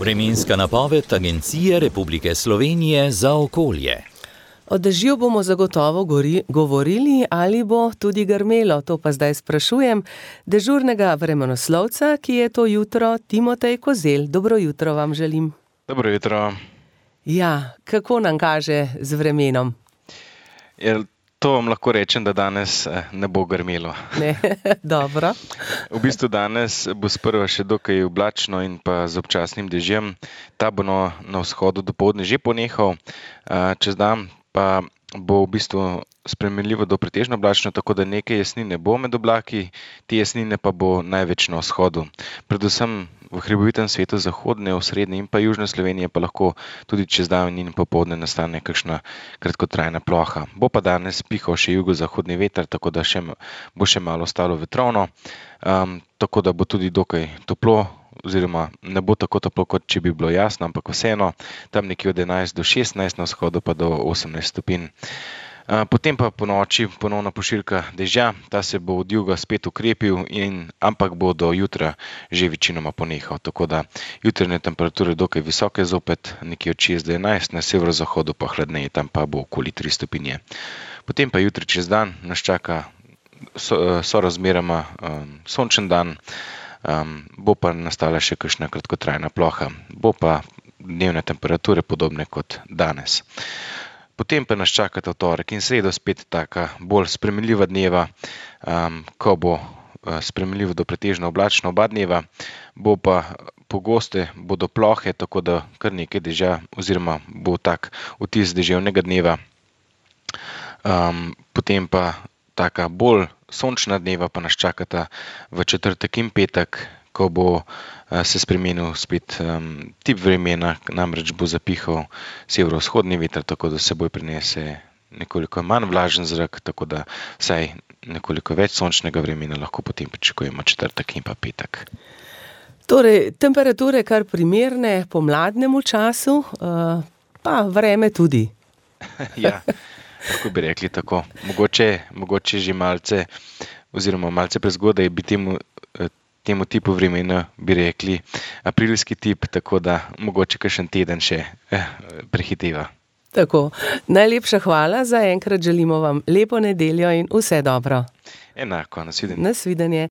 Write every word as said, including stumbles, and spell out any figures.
Vremenska napoved Agencije Republike Slovenije za okolje. O dežju bomo zagotovo gori, govorili, ali bo tudi grmelo. To pa zdaj sprašujem dežurnega vremenoslovca, ki je to jutro, Timotej Kozelj. Dobro jutro vam želim. Dobro jutro. Ja, kako nam kaže z vremenom? Je, to vam lahko rečem, da danes ne bo grmelo. Ne, dobro. V bistvu danes bo sprva še dokaj oblačno in pa z občasnim dežjem. Ta bo na, na vzhodu dopoldne že ponehal, čez dan pa bo v bistvu spremenljivo do pretežno oblačno, tako da nekaj jesnine bo med oblaki, te jesnine pa bo največ na vzhodu. Predvsem v hribovitem svetu zahodne, v srednji in pa južne Slovenije pa lahko tudi čez dan in popoldne nastane kakšna kratkotrajna ploha. Bo pa danes pihal še jugozahodni veter, tako da še, bo še malo ostalo vetrovno, um, tako da bo tudi dokaj toplo, oziroma ne bo tako toplo, kot če bi bilo jasno, ampak vseeno tam nekje od enajst do šestnajst, na vzhodu pa do osemnajst stopinj. Potem pa po noči ponovna pošiljka dežja, ta se bo od juga spet ukrepil, in, ampak bo do jutra že večinoma ponehal. Tako da jutranje temperature dokaj visoke zopet, nekje od šest do enajst, na severozahodu pa hladneje, tam pa bo okoli tri stopinje. Potem pa jutri čez dan nas čaka so, sorazmeroma um, sončen dan, um, bo pa nastala še kakšna kratkotrajna ploha, bo pa dnevne temperature podobne kot danes. Potem pa nas čakata v torek in sredo spet taka bolj spremenljiva dneva, um, ko bo uh, spremenljivo do pretežno oblačno oba dneva, bo pa pogoste, bodo plohe, tako da kar nekaj dežja, oziroma bo tak vtis deževnega dneva. Um, potem pa taka bolj sončna dneva pa nas čakata v četrtek in petek, ko bo uh, se spremenil spet um, tip vremena, namreč bo zapihal severovzhodni veter, tako da seboj prinese nekoliko manj vlažen zrak, tako da vsaj nekoliko več sončnega vremena lahko potem pričakujemo četrtek in pa petek. Torej, temperature kar primerne pomladnemu času, uh, pa vreme tudi. Ja, lahko bi rekli tako. Mogoče, mogoče že malce, oziroma malce prezgodaj bi temu temu tipu vremena bi rekli aprilski tip, tako da mogoče kakšen teden še eh, prehiteva. Tako, najlepša hvala, za enkrat želimo vam lepo nedeljo in vse dobro. Enako, nasvidenje. Nasvidenje.